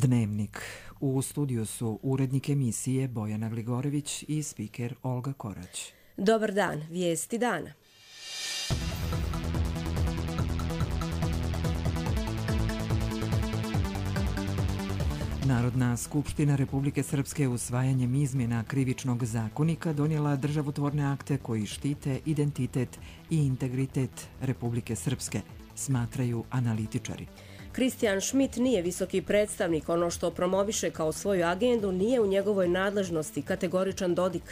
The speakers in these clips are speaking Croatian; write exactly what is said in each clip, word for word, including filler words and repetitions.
Dnevnik. U studiju su urednik emisije Bojana Gligorević i spiker Olga Korać. Dobar dan, vijesti dana. Narodna skupština Republike Srpske usvajanjem izmjena Krivičnog zakonika donijela državotvorne akte koji štite identitet i integritet Republike Srpske, smatraju analitičari. Kristijan Šmit nije visoki predstavnik, ono što promoviše kao svoju agendu nije u njegovoj nadležnosti, kategoričan Dodik.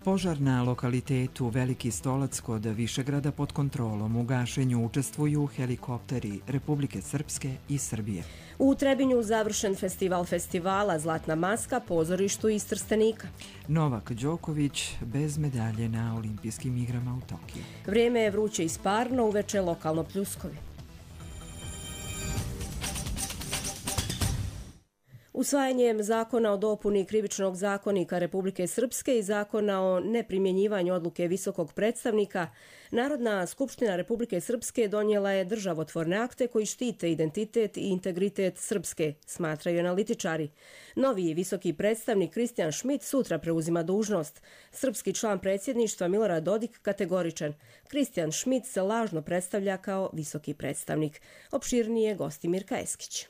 Požar na lokalitetu Veliki Stolac kod Višegrada pod kontrolom. U gašenju učestvuju helikopteri Republike Srpske i Srbije. U Trebinju završen festival festivala Zlatna maska, pozorištu iz Trstenika. Novak Đoković bez medalje na olimpijskim igrama u Tokiju. Vrijeme je vruće i sparno, uveče lokalno pljuskovi. Usvajanjem zakona o dopuni Krivičnog zakonika Republike Srpske i zakona o neprimjenjivanju odluke visokog predstavnika, Narodna skupština Republike Srpske donijela je državotvorne akte koji štite identitet i integritet Srpske, smatraju analitičari. Novi visoki predstavnik Kristijan Šmit sutra preuzima dužnost. Srpski član predsjedništva Milorad Dodik kategoričan. Kristijan Šmit se lažno predstavlja kao visoki predstavnik. Opširnije Gostimir Kajeskić.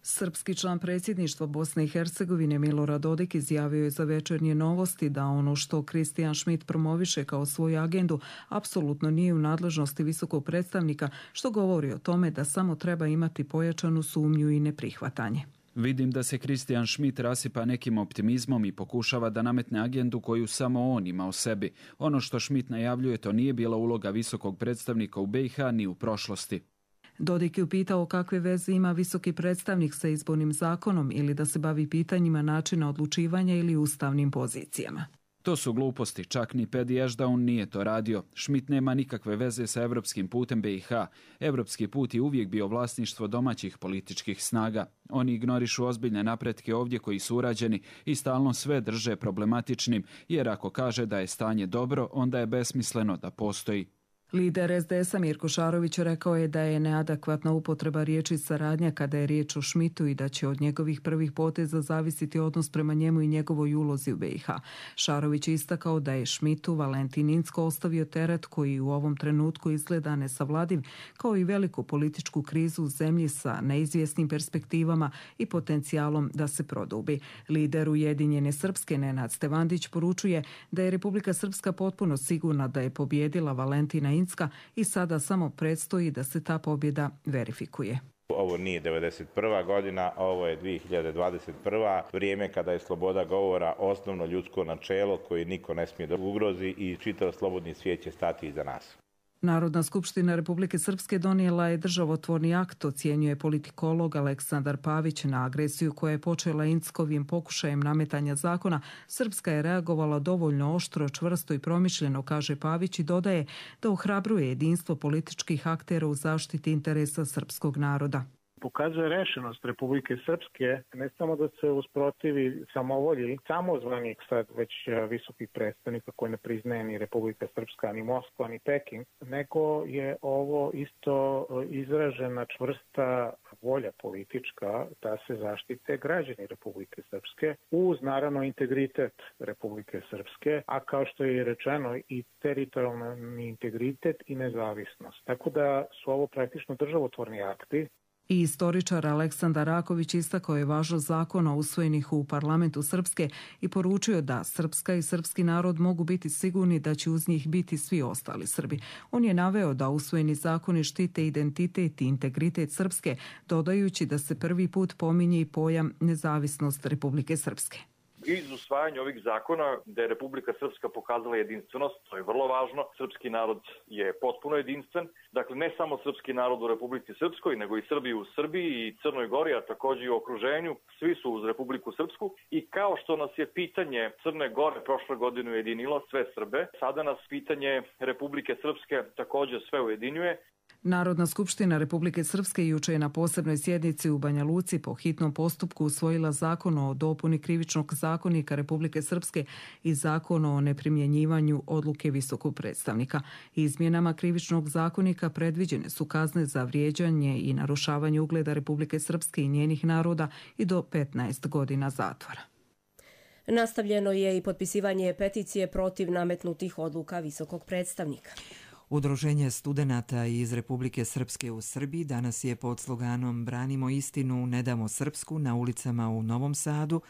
Srpski član predsjedništva Bosne i Hercegovine Milorad Dodik izjavio je za Večernje novosti da ono što Kristijan Šmit promoviše kao svoju agendu apsolutno nije u nadležnosti visokog predstavnika, što govori o tome da samo treba imati pojačanu sumnju i neprihvatanje. Vidim da se Kristijan Šmit rasipa nekim optimizmom i pokušava da nametne agendu koju samo on ima o sebi. Ono što Šmit najavljuje to nije bila uloga visokog predstavnika u B i H ni u prošlosti. Dodik je upitao kakve veze ima visoki predstavnik sa izbornim zakonom ili da se bavi pitanjima načina odlučivanja ili ustavnim pozicijama. To su gluposti, čak ni Pedi Ešdaun nije to radio. Šmit nema nikakve veze sa evropskim putem B i H. Evropski put je uvijek bio vlasništvo domaćih političkih snaga. Oni ignorišu ozbiljne napretke ovdje koji su urađeni i stalno sve drže problematičnim, jer ako kaže da je stanje dobro, onda je besmisleno da postoji. Lider es de esa Mirko Šarović rekao je da je neadekvatna upotreba riječi saradnja kada je riječ o Šmitu i da će od njegovih prvih poteza zavisiti odnos prema njemu i njegovoj ulozi u B i H. Šarović je istakao da je Šmitu Valentin Incko ostavio teret koji u ovom trenutku izgleda nesavladiv, kao i veliku političku krizu u zemlji sa neizvjesnim perspektivama i potencijalom da se produbi. Lider Ujedinjene Srpske Nenad Stevandić poručuje da je Republika Srpska potpuno sigurna da je pobjedila Valentina Incka i sada samo predstoji da se ta pobjeda verifikuje. Ovo nije devedeset prva godina, ovo je dvije hiljade dvadeset prva. Vrijeme kada je sloboda govora osnovno ljudsko načelo koje niko ne smije da ugrozi i čitav slobodni svijet će stati iza nas. Narodna skupština Republike Srpske donijela je državotvorni akt, ocjenjuje politikolog Aleksandar Pavić. Na agresiju koja je počela Inckovim pokušajem nametanja zakona, Srpska je reagovala dovoljno oštro, čvrsto i promišljeno, kaže Pavić, i dodaje da ohrabruje jedinstvo političkih aktera u zaštiti interesa srpskog naroda. Pokazuje rešenost Republike Srpske ne samo da se usprotivi samovolji samozvanih sad već visokih predstavnika koji ne priznaje ni Republika Srpska, ni Moskva, ni Peking, nego je ovo isto izražena čvrsta volja politička da se zaštite građani Republike Srpske uz naravno integritet Republike Srpske, a kao što je rečeno i teritorijalni integritet i nezavisnost. Tako da su ovo praktično državotvorni akti. I istoričar Aleksandar Raković istakao je važnost zakona usvojenih u parlamentu Srpske i poručio da Srpska i srpski narod mogu biti sigurni da će uz njih biti svi ostali Srbi. On je naveo da usvojeni zakoni štite identitet i integritet Srpske, dodajući da se prvi put pominje i pojam nezavisnost Republike Srpske. Iz usvajanja ovih zakona da je Republika Srpska pokazala jedinstvenost, to je vrlo važno. Srpski narod je potpuno jedinstven. Dakle, ne samo srpski narod u Republici Srpskoj, nego i Srbi u Srbiji i Crnoj Gori, a također i u okruženju. Svi su uz Republiku Srpsku. I kao što nas je pitanje Crne Gore prošle godine ujedinilo sve Srbe, sada nas pitanje Republike Srpske također sve ujedinjuje. Narodna skupština Republike Srpske juče je na posebnoj sjednici u Banja Luci po hitnom postupku usvojila zakon o dopuni Krivičnog zakona zakonika Republike Srpske i Zakon o neprimjenjivanju odluke visokog predstavnika. Izmjenama Krivičnog zakonika predviđene su kazne za vrijeđanje i narušavanje ugleda Republike Srpske i njenih naroda i do petnaest godina zatvora. Nastavljeno je i potpisivanje peticije protiv nametnutih odluka visokog predstavnika. Udruženje studenata iz Republike Srpske u Srbiji danas je pod sloganom Branimo istinu, ne damo srpsku na ulicama u Novom Sadu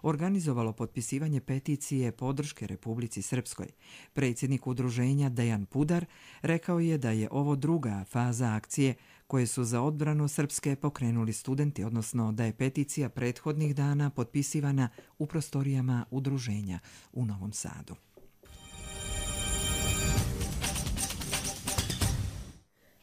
organizovalo potpisivanje peticije podrške Republici Srpskoj. Predsjednik udruženja Dejan Pudar rekao je da je ovo druga faza akcije koje su za odbranu Srpske pokrenuli studenti, odnosno da je peticija prethodnih dana potpisivana u prostorijama udruženja u Novom Sadu.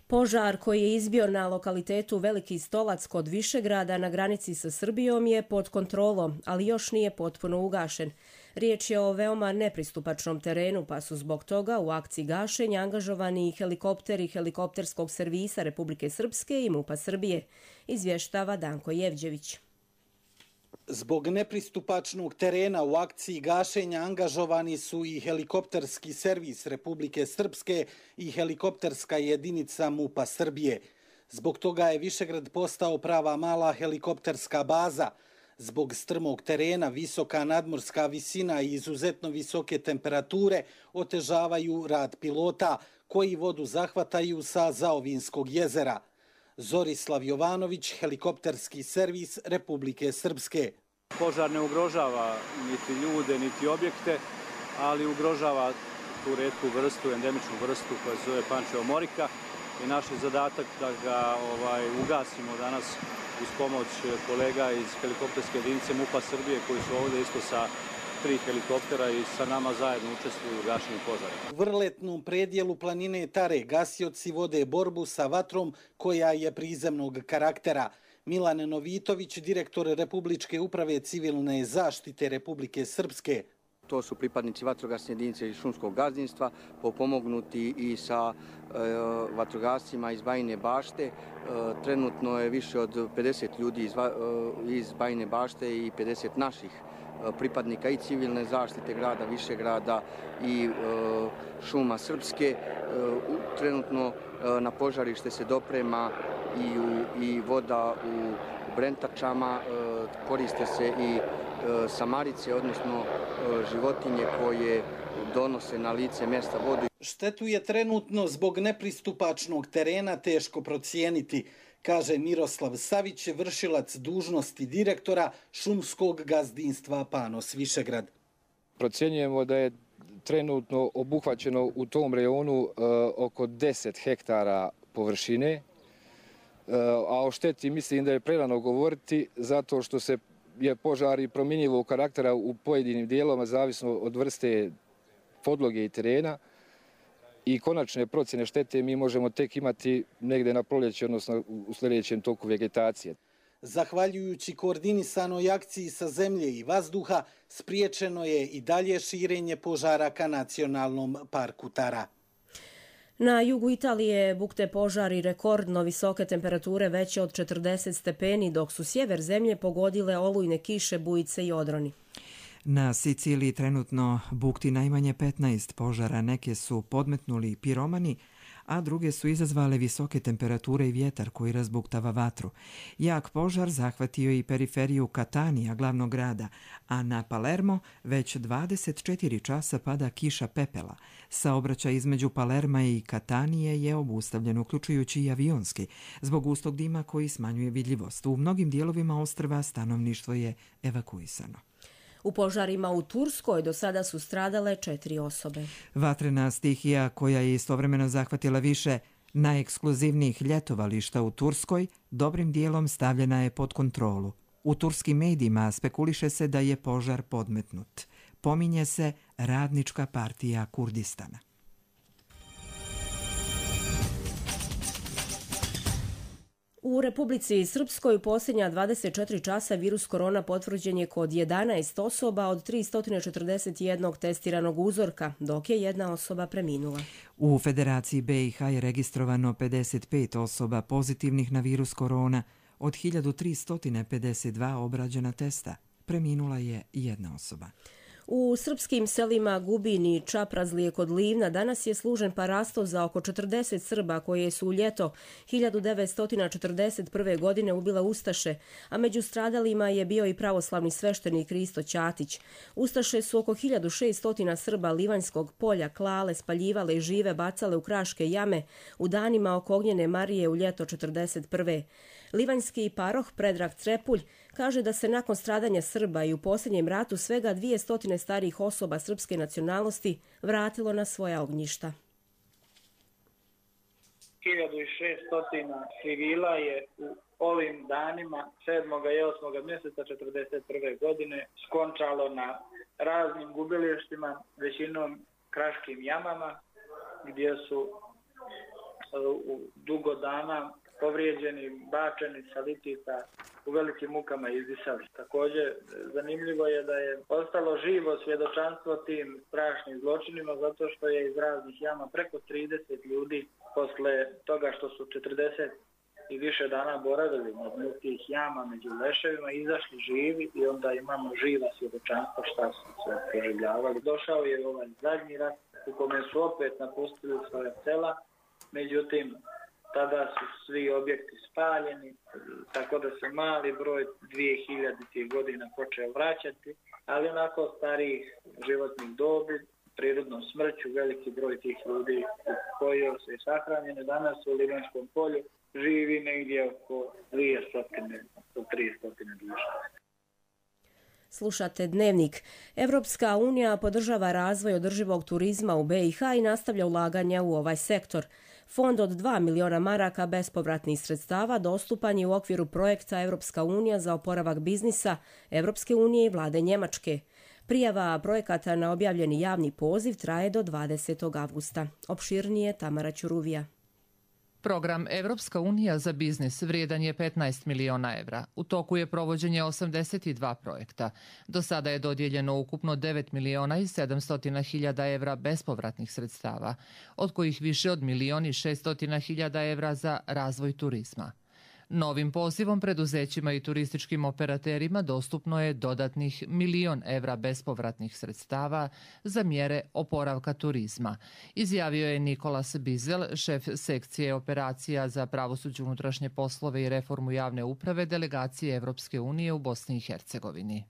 Požar koji je izbio na lokalitetu Veliki Stolac kod Višegrada na granici sa Srbijom je pod kontrolom, ali još nije potpuno ugašen. Riječ je o veoma nepristupačnom terenu, pa su zbog toga u akciji gašenja angažovani helikopteri helikopterskog servisa Republike Srpske i MUP-a Srbije, izvještava Danko Jevđević. Zbog nepristupačnog terena u akciji gašenja angažovani su i helikopterski servis Republike Srpske i helikopterska jedinica MUP-a Srbije. Zbog toga je Višegrad postao prava mala helikopterska baza. Zbog strmog terena, visoka nadmorska visina i izuzetno visoke temperature otežavaju rad pilota koji vodu zahvataju sa Zaovinskog jezera. Zorislav Jovanović, helikopterski servis Republike Srpske. Požar ne ugrožava niti ljude, niti objekte, ali ugrožava tu retku vrstu, endemičnu vrstu koja se zove Pančevo morika i naš je zadatak da ga ovaj, ugasimo danas uz pomoć kolega iz helikopterske jedinice MUP-a Srbije koji su ovdje isto sa tri helikoptera i sa nama zajedno učestvuju u gašenju požara. U vrletnom predjelu planine Tare gasioci vode borbu sa vatrom koja je prizemnog karaktera. Milan Novitović, direktor Republičke uprave civilne zaštite Republike Srpske. To su pripadnici vatrogasne jedinice iz šumskog gazdinstva, pomognuti i sa e, vatrogascima iz Bajine Bašte. E, trenutno je više od pedeset ljudi iz, e, iz Bajine Bašte i pedeset naših pripadnika i civilne zaštite grada Višegrada i e, šuma Srpske. E, trenutno e, na požarište se doprema i, u, i voda u brentačama, e, koriste se i e, samarice, odnosno e, životinje koje donose na lice mjesta vodu. Štetu je trenutno zbog nepristupačnog terena teško procijeniti, kaže Miroslav Savić, vršilac dužnosti direktora šumskog gazdinstva Panos Višegrad. Procjenjujemo da je trenutno obuhvaćeno u tom rejonu e, oko deset hektara površine, e, a o šteti mislim da je prerano govoriti zato što se je požar i promjenjivog karaktera u pojedinim dijelovima zavisno od vrste podloge i terena. I konačne procjene štete mi možemo tek imati negdje na proljeće, odnosno u sljedećem toku vegetacije. Zahvaljujući koordinisanoj akciji sa zemlje i vazduha, spriječeno je i dalje širenje požara ka nacionalnom parku Tara. Na jugu Italije bukte požari rekordno visoke temperature veće od četrdeset stepeni, dok su sjever zemlje pogodile olujne kiše, bujice i odroni. Na Siciliji trenutno bukti najmanje petnaest požara, neke su podmetnuli piromani, a druge su izazvale visoke temperature i vjetar koji razbuktava vatru. Jak požar zahvatio i periferiju Katanija, glavnog grada, a na Palermo već dvadeset četiri časa pada kiša pepela. Saobraćaj između Palerma i Katanije je obustavljen, uključujući i avionski, zbog gustog dima koji smanjuje vidljivost. U mnogim dijelovima ostrva stanovništvo je evakuisano. U požarima u Turskoj do sada su stradale četiri osobe. Vatrena stihija koja je istovremeno zahvatila više najekskluzivnijih ljetovališta u Turskoj, dobrim dijelom stavljena je pod kontrolu. U turskim medijima spekuliše se da je požar podmetnut. Pominje se Radnička partija Kurdistana. U Republici Srpskoj u posljednja dvadeset četiri časa virus korona potvrđen je kod jedanaest osoba od tristo četrdeset jedan testiranog uzorka, dok je jedna osoba preminula. U Federaciji B i H je registrovano pedeset pet osoba pozitivnih na virus korona od hiljadu tristo pedeset dva obrađena testa. preminula je jedna osoba. U srpskim selima Gubin i Čaprazlije kod Livna danas je služen parastov za oko četrdeset Srba koje su u ljeto hiljadu devetsto četrdeset prve. godine ubile Ustaše, a među stradalima je bio i pravoslavni sveštenik Risto Ćatić. Ustaše su oko hiljadu šesto Srba Livanjskog polja klale, spaljivale i žive bacale u kraške jame u danima oko Ognjene Marije u ljeto četrdeset prve. Livanjski paroh Predrag Trepulj kaže da se nakon stradanja Srba i u posljednjem ratu svega dvjesto starijih osoba srpske nacionalnosti vratilo na svoja ognjišta. hiljadu šesto civila je u ovim danima sedmog i osmog mjeseca četrdeset prve. godine skončalo na raznim gubilištima, većinom kraškim jamama, gdje su u dugo dana povrijeđeni, bačeni sa litita, u velikim mukama izdisali. Također, zanimljivo je da je ostalo živo svjedočanstvo tim strašnim zločinima, zato što je iz raznih jama preko trideset ljudi posle toga što su četrdeset i više dana boravili na dnu tih jama među leševima, izašli živi i onda imamo živa svjedočanstva šta su se proživljavali. Došao je ovaj zadnji rat u kome su opet napustili svoje sela, međutim, tada su svi objekti spaljeni, tako da se mali broj dvije hiljade godina počeo vraćati, ali onako starijih životnih dobi, prirodnom smrću, veliki broj tih ljudi koji se je sahranjeni danas u Livanjskom polju živi negdje oko dvjesto do tristo duša. Slušate Dnevnik. Evropska unija podržava razvoj održivog turizma u be i ha i nastavlja ulaganja u ovaj sektor. Fond od dva miliona maraka bespovratnih sredstava dostupan je u okviru projekta Evropska unija za oporavak biznisa Evropske unije i vlade Njemačke. Prijava projekata na objavljeni javni poziv traje do dvadesetog avgusta. Opširnije Tamara Ćuruvija. Program Evropska unija za biznis vrijedan je petnaest miliona evra. U toku je provođenje osamdeset dva projekta. Do sada je dodijeljeno ukupno devet miliona i sedamsto hiljada evra bespovratnih sredstava, od kojih više od milion i šesto hiljada evra za razvoj turizma. Novim pozivom preduzećima i turističkim operaterima dostupno je dodatnih milion evra bespovratnih sredstava za mjere oporavka turizma, izjavio je Nikolas Bizel, šef sekcije operacija za pravosuđe, unutrašnje poslove i reformu javne uprave delegacije Evropske unije u Bosni i Hercegovini.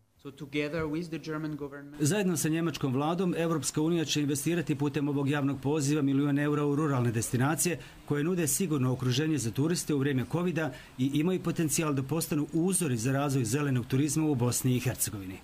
Zajedno sa njemačkom vladom, Evropska unija će investirati putem ovog javnog poziva milion eura u ruralne destinacije koje nude sigurno okruženje za turiste u vrijeme kovida i imaju potencijal da postanu uzori za razvoj zelenog turizma u Bosni i Hercegovini.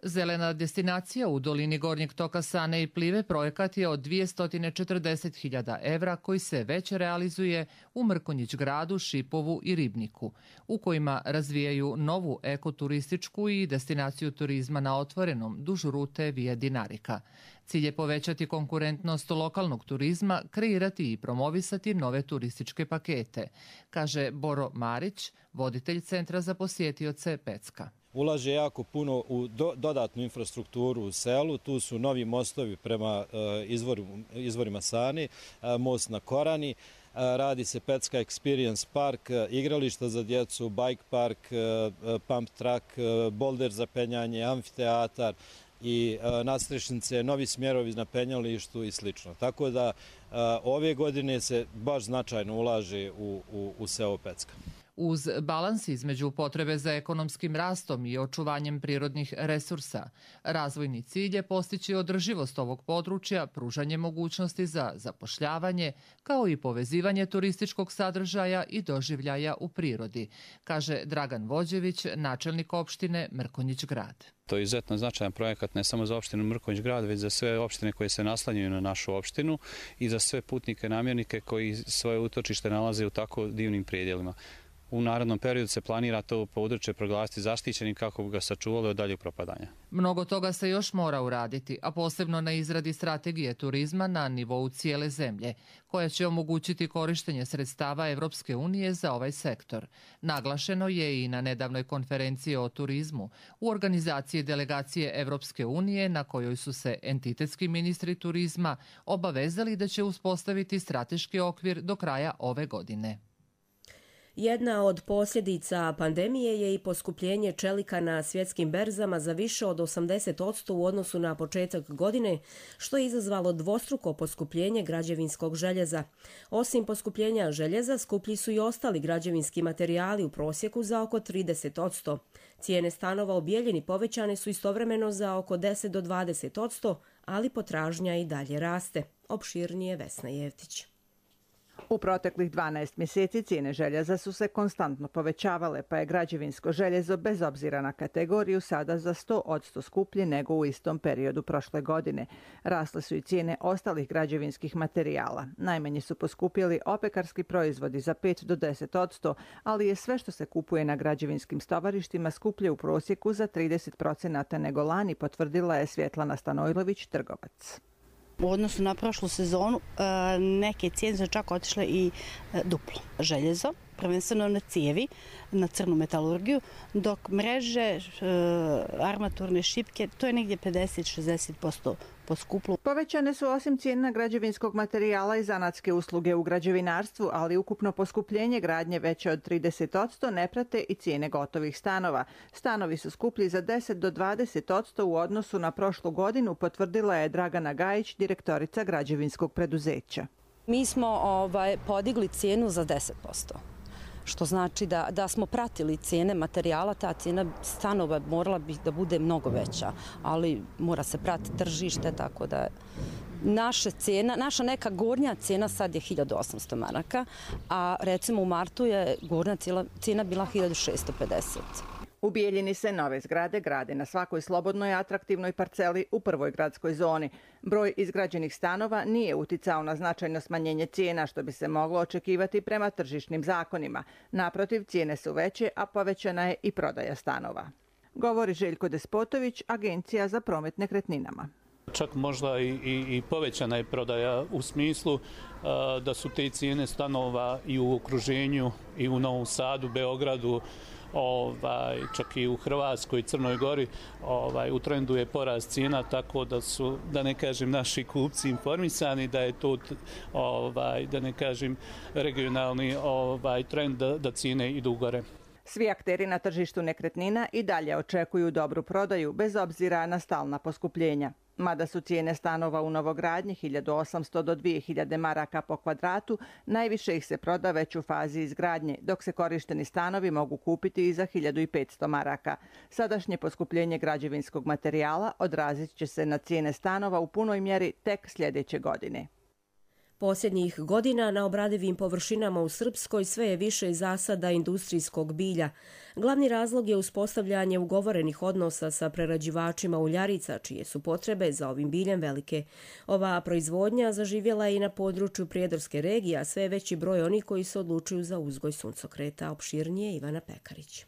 Zelena destinacija u dolini Gornjeg toka Sane i Plive projekat je od dvjesto četrdeset hiljada evra koji se već realizuje u Mrkonjić gradu, Šipovu i Ribniku, u kojima razvijaju novu ekoturističku i destinaciju turizma na otvorenom duž rute Via Dinarika. Cilj je povećati konkurentnost lokalnog turizma, kreirati i promovisati nove turističke pakete, kaže Boro Marić, voditelj Centra za posjetioce Pecka. Ulaže jako puno u do, dodatnu infrastrukturu u selu, tu su novi mostovi prema uh, izvor, izvorima Sani, uh, most na Korani, uh, radi se Pecka Experience Park, uh, igrališta za djecu, bike park, uh, pump track, uh, bolder za penjanje, amfiteatar i uh, nadstrešnice, novi smjerovi na penjalištu i slično. Tako da uh, ove godine se baš značajno ulaže u, u, u selo Pecka. Uz balans između potrebe za ekonomskim rastom i očuvanjem prirodnih resursa, razvojni cilj je postići održivost ovog područja, pružanje mogućnosti za zapošljavanje, kao i povezivanje turističkog sadržaja i doživljaja u prirodi, kaže Dragan Vođević, načelnik opštine Mrkonjić grad. To je izuzetno značajan projekat ne samo za opštinu Mrkonjić grad, već za sve opštine koje se naslanjaju na našu opštinu i za sve putnike namjernike koji svoje utočište nalaze u tako divnim predjelima. U narednom periodu se planira to područje proglasiti zaštićenim kako bi ga sačuvali od daljeg propadanja. Mnogo toga se još mora uraditi, a posebno na izradi strategije turizma na nivou cijele zemlje, koja će omogućiti korištenje sredstava Evropske unije za ovaj sektor. Naglašeno je i na nedavnoj konferenciji o turizmu u organizaciji delegacije Evropske unije na kojoj su se entitetski ministri turizma obavezali da će uspostaviti strateški okvir do kraja ove godine. Jedna od posljedica pandemije je i poskupljenje čelika na svjetskim berzama za više od osamdeset posto u odnosu na početak godine, što je izazvalo dvostruko poskupljenje građevinskog željeza. Osim poskupljenja željeza, skuplji su i ostali građevinski materijali u prosjeku za oko trideset posto. Cijene stanova u Bijeljini povećane su istovremeno za oko deset do dvadeset posto, ali potražnja i dalje raste. Opširnije Vesna Jevtić. U proteklih dvanaest mjeseci cijene željeza su se konstantno povećavale, pa je građevinsko željezo bez obzira na kategoriju sada za sto posto skuplje nego u istom periodu prošle godine. Rasle su i cijene ostalih građevinskih materijala. Najmanje su poskupjeli opekarski proizvodi za pet do deset posto, ali je sve što se kupuje na građevinskim stovarištima skuplje u prosjeku za trideset posto nego lani, potvrdila je Svjetlana Stanojlović, trgovac. U odnosu na prošlu sezonu neke cijene su čak otišle i duplo. Željezo, prvenstveno na cijevi, na crnu metalurgiju, dok mreže, armaturne šipke, to je negdje pedeset do šezdeset posto poskuplo. Povećane su osim cijena građevinskog materijala i zanatske usluge u građevinarstvu, ali ukupno poskupljenje gradnje veće od trideset posto ne prate i cijene gotovih stanova. Stanovi su skuplji za deset do dvadeset posto u odnosu na prošlu godinu, potvrdila je Dragana Gajić, direktorica građevinskog preduzeća. Mi smo ovaj, podigli cijenu za deset posto. Što znači da, da smo pratili cijene materijala, ta cijena stanova morala bi da bude mnogo veća, ali mora se pratiti tržište, tako da naša cijena, naša neka gornja cijena sad je hiljadu osamsto maraka, a recimo u martu je gornja cijena bila hiljadu šesto pedeset. U Bijeljini se nove zgrade grade na svakoj slobodnoj atraktivnoj parceli u prvoj gradskoj zoni. Broj izgrađenih stanova nije uticao na značajno smanjenje cijena, što bi se moglo očekivati prema tržišnim zakonima. Naprotiv, cijene su veće, a povećana je i prodaja stanova. Govori Željko Despotović, Agencija za promet nekretninama. Čak možda i, i, i povećana je prodaja u smislu uh, da su te cijene stanova i u okruženju i u Novom Sadu, Beogradu, Ovaj, čak i u Hrvatskoj i Crnoj Gori ovaj, u trendu je porast cijena, tako da su, da ne kažem, naši kupci informisani da je to, ovaj, da ne kažem, regionalni ovaj, trend da, da cijene idu gore. Svi akteri na tržištu nekretnina i dalje očekuju dobru prodaju bez obzira na stalna poskupljenja. Mada su cijene stanova u novogradnji hiljadu osamsto do dvije hiljade maraka po kvadratu, najviše ih se proda već u fazi izgradnje, dok se korišteni stanovi mogu kupiti i za hiljadu petsto maraka. Sadašnje poskupljenje građevinskog materijala odrazit će se na cijene stanova u punoj mjeri tek sljedeće godine. Posljednjih godina na obradivim površinama u Srpskoj sve je više zasada industrijskog bilja. Glavni razlog je uspostavljanje ugovorenih odnosa sa prerađivačima uljarica, čije su potrebe za ovim biljem velike. Ova proizvodnja zaživjela je i na području Prijedorske regije, a sve je veći broj onih koji se odlučuju za uzgoj suncokreta. Opširnije Ivana Pekarić.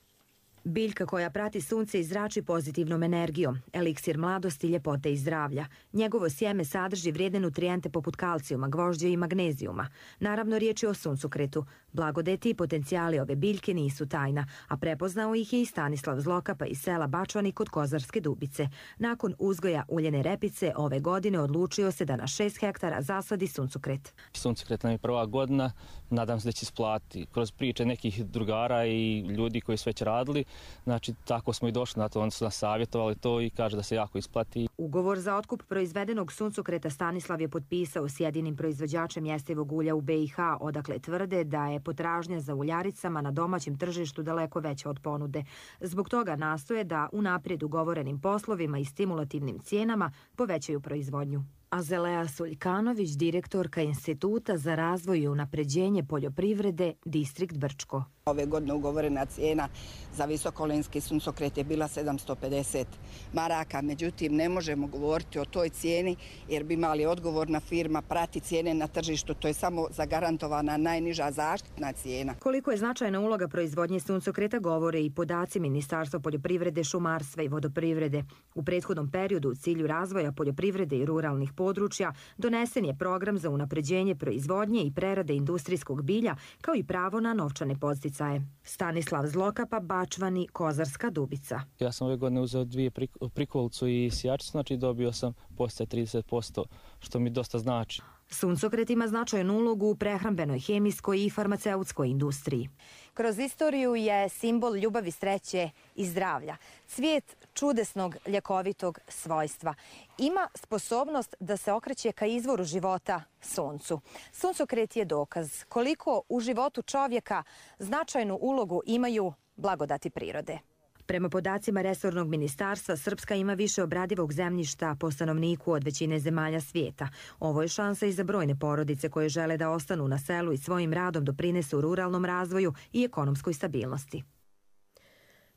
Biljka koja prati sunce i zrači pozitivnom energijom, eliksir mladosti, ljepote i zdravlja. Njegovo sjeme sadrži vrijedne nutrijente poput kalcijuma, gvožđa i magnezijuma. Naravno, riječ je o suncokretu. Blagodeti i potencijali ove biljke nisu tajna, a prepoznao ih je i Stanislav Zlokapa iz sela Bačvani kod Kozarske Dubice. Nakon uzgoja uljene repice ove godine odlučio se da na šest hektara zasadi suncokret. Suncokret nam je prva godina, nadam se da će isplati. Kroz priče nekih drugara i ljudi koji su već radili, znači tako smo i došli na to, oni su nas savjetovali to i kaže da se jako isplati. Ugovor za otkup proizvedenog suncokreta Stanislav je potpisao s jedinim proizvođačem jestivog ulja u be i ha, odakle tvrde da je potražnja za uljaricama na domaćem tržištu daleko veća od ponude. Zbog toga nastoje da unaprijed ugovorenim poslovima i stimulativnim cijenama povećaju proizvodnju. Azelea Suljkanović, direktorka Instituta za razvoj i unapređenje poljoprivrede, distrikt Brčko. Ove godine ugovorena cijena za visokolenski suncokret je bila sedamsto pedeset maraka, međutim ne možemo govoriti o toj cijeni jer bi imali odgovorna firma prati cijene na tržištu, to je samo zagarantovana najniža zaštitna cijena. Koliko je značajna uloga proizvodnje suncokreta govore i podaci Ministarstva poljoprivrede, šumarstva i vodoprivrede. U prethodnom periodu u cilju razvoja poljoprivrede i ruralnih područja donesen je program za unapređenje proizvodnje i prerade industrijskog bilja kao i pravo na novčane podsticaje. Stanislav Zlokapa, Bačvani, Kozarska Dubica. Ja sam ove godine uzeo dvije prikolicu i sijačicu, znači dobio sam podsticaj trideset posto, što mi dosta znači. Suncokret ima značajnu ulogu u prehrambenoj, hemijskoj i farmaceutskoj industriji. Kroz istoriju je simbol ljubavi, sreće i zdravlja. Cvijet čudesnog ljekovitog svojstva. Ima sposobnost da se okreće ka izvoru života, suncu. Suncokret je dokaz koliko u životu čovjeka značajnu ulogu imaju blagodati prirode. Prema podacima resornog ministarstva, Srpska ima više obradivog zemljišta po stanovniku od većine zemalja svijeta. Ovo je šansa i za brojne porodice koje žele da ostanu na selu i svojim radom doprinesu ruralnom razvoju i ekonomskoj stabilnosti.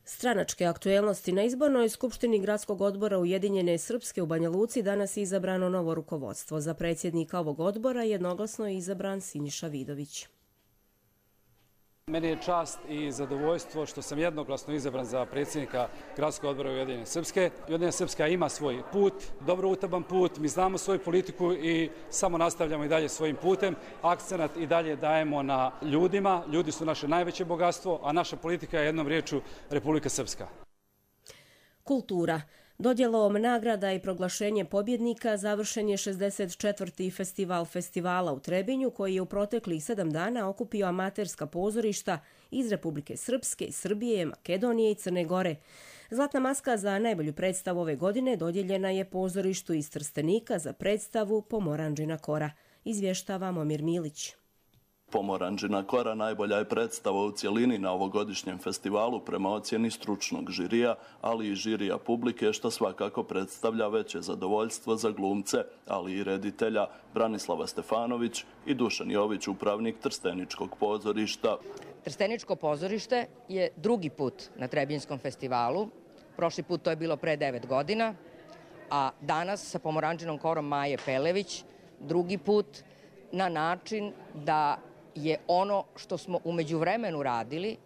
Stranačke aktuelnosti. Na izbornoj skupštini Gradskog odbora Ujedinjene Srpske u Banja Luci danas je izabrano novo rukovodstvo. Za predsjednika ovog odbora jednoglasno je izabran Siniša Vidović. Meni je čast i zadovoljstvo što sam jednoglasno izabran za predsjednika Gradskog odbora Ujedinjene Srpske. Ujedinjena Srpska ima svoj put, dobro utaban put, mi znamo svoju politiku i samo nastavljamo i dalje svojim putem. Akcenat i dalje dajemo na ljudima, ljudi su naše najveće bogatstvo, a naša politika je jednom riječju Republika Srpska. Kultura. Dodjelom nagrada i proglašenje pobjednika završen je šezdeset četvrti festival festivala u Trebinju, koji je u proteklih sedam dana okupio amaterska pozorišta iz Republike Srpske, Srbije, Makedonije i Crne Gore. Zlatna maska za najbolju predstavu ove godine dodjeljena je pozorištu iz Trstenika za predstavu Pomoranđina kora. Izvještava Momir Milić. Pomoranđina kora najbolja je predstava u cjelini na ovogodišnjem festivalu prema ocjeni stručnog žirija, ali i žirija publike, što svakako predstavlja veće zadovoljstvo za glumce, ali i reditelja Branislava Stefanović i Dušan Jović, upravnik Trsteničkog pozorišta. Trsteničko pozorište je drugi put na Trebinjskom festivalu. Prošli put to je bilo pre devet godina, a danas sa Pomoranđinom korom Maje Pelević drugi put na način da je ono što smo u međuvremenu radili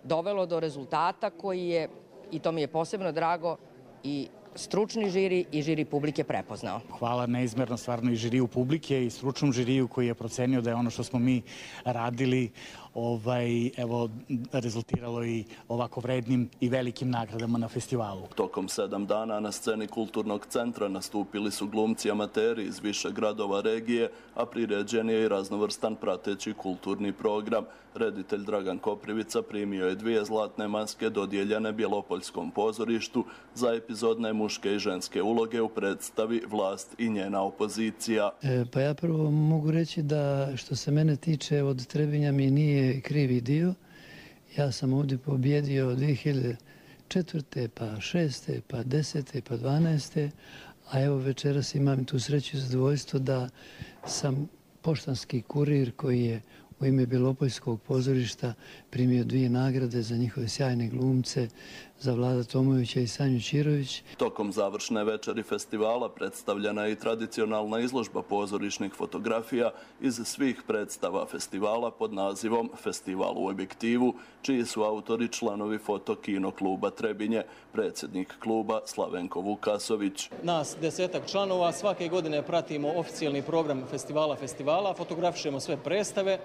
dovelo do rezultata koji je, i to mi je posebno drago, i stručni žiri i žiri publike prepoznao. Hvala neizmjerno stvarno i žiriju publike i stručnom žiriju koji je procenio da je ono što smo mi radili ovaj, evo, rezultiralo i ovako vrednim i velikim nagradama na festivalu. Tokom sedam dana na sceni Kulturnog centra nastupili su glumci amateri iz više gradova regije, a priređen je i raznovrstan prateći kulturni program. Reditelj Dragan Koprivica primio je dvije zlatne maske dodijeljene Bjelopoljskom pozorištu za epizodne muške i ženske uloge u predstavi Vlast i njena opozicija. E, pa ja prvo mogu reći da što se mene tiče od Trebinja mi nije krivi dio. Ja sam ovdje pobjedio dvije hiljade četvrte, pa šeste, pa desete, pa dvanaeste, a evo večeras imam tu sreću i zadovoljstvo da sam poštanski kurir koji je u ime Bjelopoljskog pozorišta primio dvije nagrade za njihove sjajne glumce, za Vlada Tomovića i Sanju Čirović. Tokom završne večeri festivala predstavljena je i tradicionalna izložba pozorišnih fotografija iz svih predstava festivala pod nazivom Festival u objektivu, čiji su autori članovi Fotokino kluba Trebinje, predsjednik kluba Slavenko Vukasović. Nas desetak članova svake godine pratimo oficijalni program festivala festivala, fotografišemo sve predstave,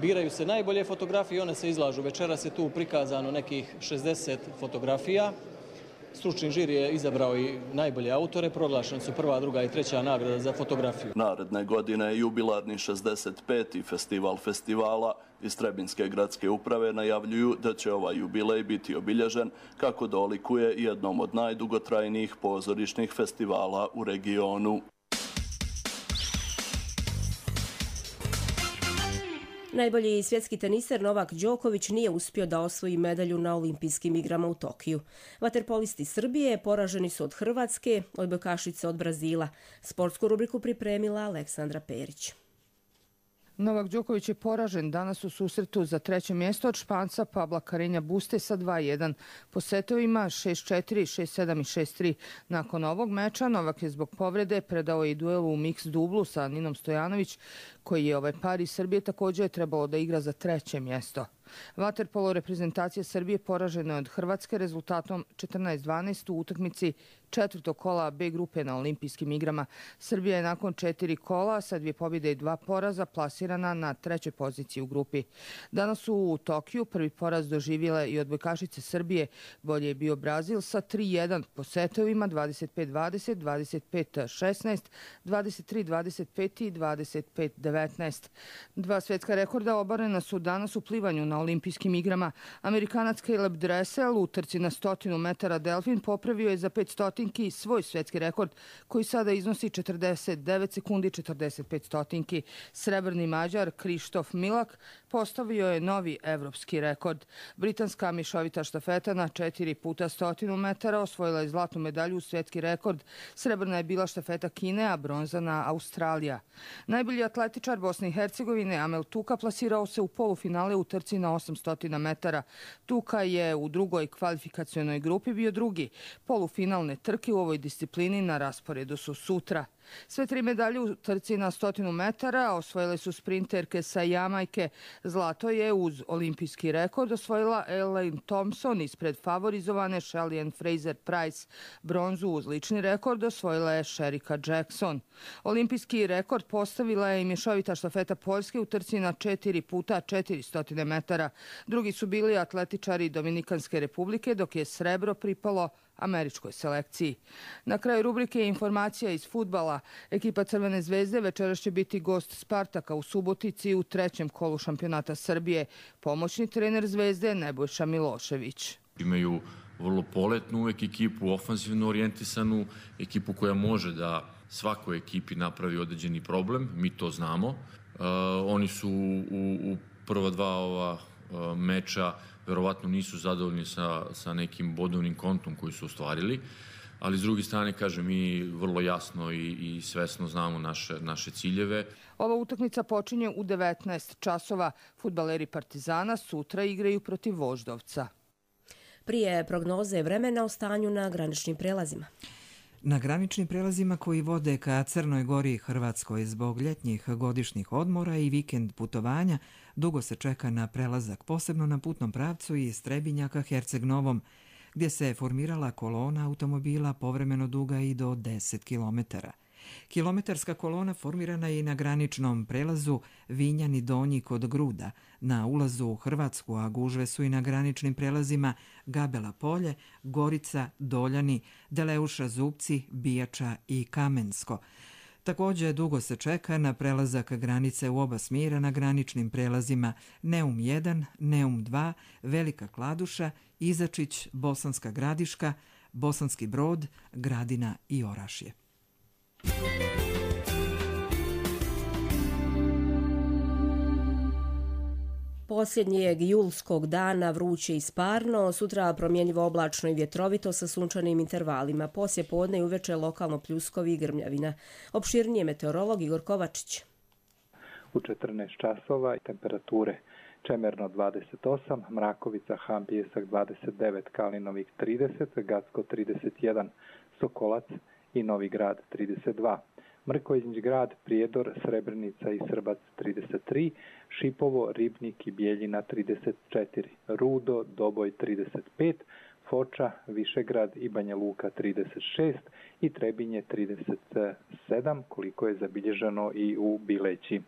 biraju se najbolje fotografije i one se izlažu. Večeras je tu prikazano nekih šezdeset fotografija. Stručni žiri je izabrao i najbolje autore, proglašeni su prva, druga i treća nagrada za fotografiju. Naredne godine je jubilarni šezdeset peti festival festivala. Iz Trebinjske gradske uprave najavljuju da će ovaj jubilej biti obilježen kako dolikuje jednom od najdugotrajnijih pozorišnih festivala u regionu. Najbolji svjetski teniser Novak Đoković nije uspio da osvoji medalju na olimpijskim igrama u Tokiju. Vaterpolisti Srbije poraženi su od Hrvatske, odbojkašice od Brazila. Sportsku rubriku pripremila Aleksandra Perić. Novak Đoković je poražen danas u susretu za treće mjesto od Španca Pabla Karinja Buste sa dva jedan. Po setovima šest četiri, šest sedam i šest tri. Nakon ovog meča Novak je zbog povrede predao i duelu u miks dublu sa Ninom Stojanović, koji je ovaj par iz Srbije također je trebalo da igra za treće mjesto. Vaterpolo reprezentacija Srbije poražena je od Hrvatske rezultatom četrnaest dvanaest u utakmici četvrtog kola B grupe na olimpijskim igrama. Srbija je nakon četiri kola sa dvije pobjede i dva poraza plasirana na trećoj poziciji u grupi. Danas su u Tokiju prvi poraz doživjele i odbojkašice Srbije. Bolje je bio Brazil sa tri jedan po setovima dvadeset pet dvadeset, dvadeset pet šesnaest, dvadeset tri dvadeset pet i dvadeset pet devetnaest. Dva svjetska rekorda obarena su danas u plivanju na olimpijskim igrama. Amerikanac Caleb Dressel u trci na stotinu metara delfin popravio je za pet stotinki svoj svjetski rekord koji sada iznosi četrdeset devet sekundi četrdeset pet stotinki. Srebrni Mađar Krištof Milak postavio je novi evropski rekord. Britanska mišovita štafeta na četiri puta stotinu metara osvojila je zlatnu medalju u svjetski rekord. Srebrna je bila štafeta Kine, a bronzana Australija. Najbolji atletičar Bosne i Hercegovine Amel Tuka plasirao se u polufinale u trci na osamsto metara. Tuka je u drugoj kvalifikacionoj grupi bio drugi. Polufinalne trke u ovoj disciplini na rasporedu su sutra. Sve tri medalje u trci na stotinu metara osvojile su sprinterke sa Jamajke. Zlato je uz olimpijski rekord osvojila Elaine Thompson ispred favorizovane Shelly Fraser Price. Bronzu uz lični rekord osvojila je Sherika Jackson. Olimpijski rekord postavila je i mješovita štafeta Poljske u trci na četiri puta četiristo metara. Drugi su bili atletičari Dominikanske republike, dok je srebro pripalo američkoj selekciji. Na kraju rubrike informacija iz fudbala. Ekipa Crvene zvezde večeras će biti gost Spartaka u Subotici u trećem kolu šampionata Srbije. Pomoćni trener Zvezde Nebojša Milošević. Imaju vrlo poletnu uvek ekipu, ofanzivno orijentisanu, ekipu koja može da svakoj ekipi napravi određeni problem, mi to znamo. Uh, oni su u, u prva dva ova uh, meča verovatno nisu zadovoljni sa, sa nekim bodovnim kontom koji su ostvarili, ali s druge strane, kažem, mi vrlo jasno i, i svesno znamo naše, naše ciljeve. Ova utakmica počinje u devetnaest časova. Fudbaleri Partizana sutra igraju protiv Voždovca. Prije prognoze vremena o stanju na graničnim prelazima. Na graničnim prelazima koji vode ka Crnoj Gori i Hrvatskoj zbog ljetnjih godišnjih odmora i vikend putovanja, dugo se čeka na prelazak, posebno na putnom pravcu iz Trebinja ka Herceg Novom, gdje se formirala kolona automobila povremeno duga i do deset kilometara. Kilometarska kolona formirana je i na graničnom prelazu Vinjani Donji kod Gruda, na ulazu u Hrvatsku, a gužve su i na graničnim prelazima Gabela Polje, Gorica, Doljani, Deleuša Zupci, Bijača i Kamensko. Također dugo se čeka na prelazak granice u oba smjera na graničnim prelazima Neum jedan, Neum dva, Velika Kladuša, Izačić, Bosanska Gradiška, Bosanski Brod, Gradina i Orašje. Posljednjeg julskog dana vruće i sparno, sutra promjenjivo oblačno i vjetrovito sa sunčanim intervalima. Poslije podne i uveče lokalno pljuskovi i grmljavina. Opširnije meteorolog Igor Kovačić. U četrnaest časova temperature Čemerno dvadeset osam, Mrakovica, Han Pijesak dvadeset devet, Kalinovik trideset, Gacko trideset jedan, Sokolac i Novi Grad trideset dva. Mrkonjić Grad, Prijedor, Srebrenica i Srbac trideset tri, Šipovo, Ribnik i Bijeljina trideset četiri, Rudo, Doboj trideset pet, Foča, Višegrad i Banja Luka trideset šest i Trebinje trideset sedam, koliko je zabilježeno i u Bileći.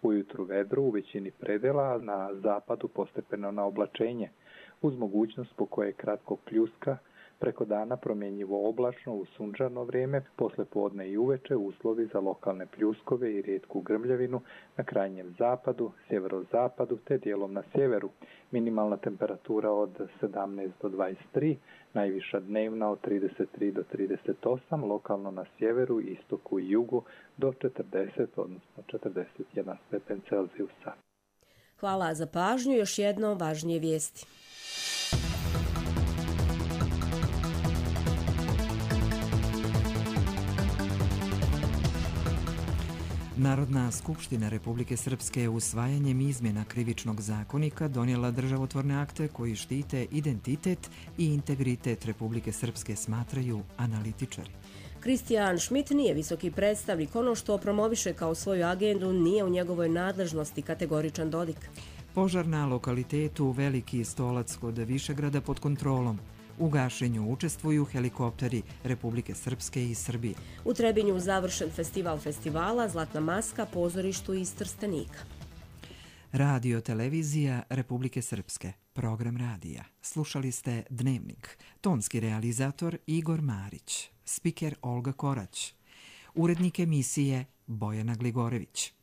Ujutru vedro u većini predela, na zapadu postepeno na oblačenje, uz mogućnost po koje kratkog pljuska. Preko dana promjenjivo oblačno u sunčano vrijeme, posle podne i uveče uslovi za lokalne pljuskove i rijetku grmljavinu na krajnjem zapadu, sjeverozapadu te dijelom na sjeveru. Minimalna temperatura od sedamnaest do dvadeset tri, najviša dnevna od trideset tri do trideset osam, lokalno na sjeveru, istoku i jugu do četrdeset, odnosno četrdeset jedan stepen Celzijusa. Hvala za pažnju, još jedno važnije vijesti. Narodna skupština Republike Srpske usvajanjem izmjena krivičnog zakonika donijela državotvorne akte koji štite identitet i integritet Republike Srpske, smatraju analitičari. Kristijan Schmidt nije visoki predstavnik, ono što promoviše kao svoju agendu nije u njegovoj nadležnosti, kategoričan Dodik. Požar na lokalitetu Veliki Stolac kod Višegrada pod kontrolom. U gašenju učestvuju helikopteri Republike Srpske i Srbije. U Trebinju završen festival festivala Zlatna maska pozorištu iz Trstenika. Radio televizija Republike Srpske. Program radija. Slušali ste Dnevnik. Tonski realizator Igor Marić. Spiker Olga Korać. Urednik emisije Bojana Gligorević.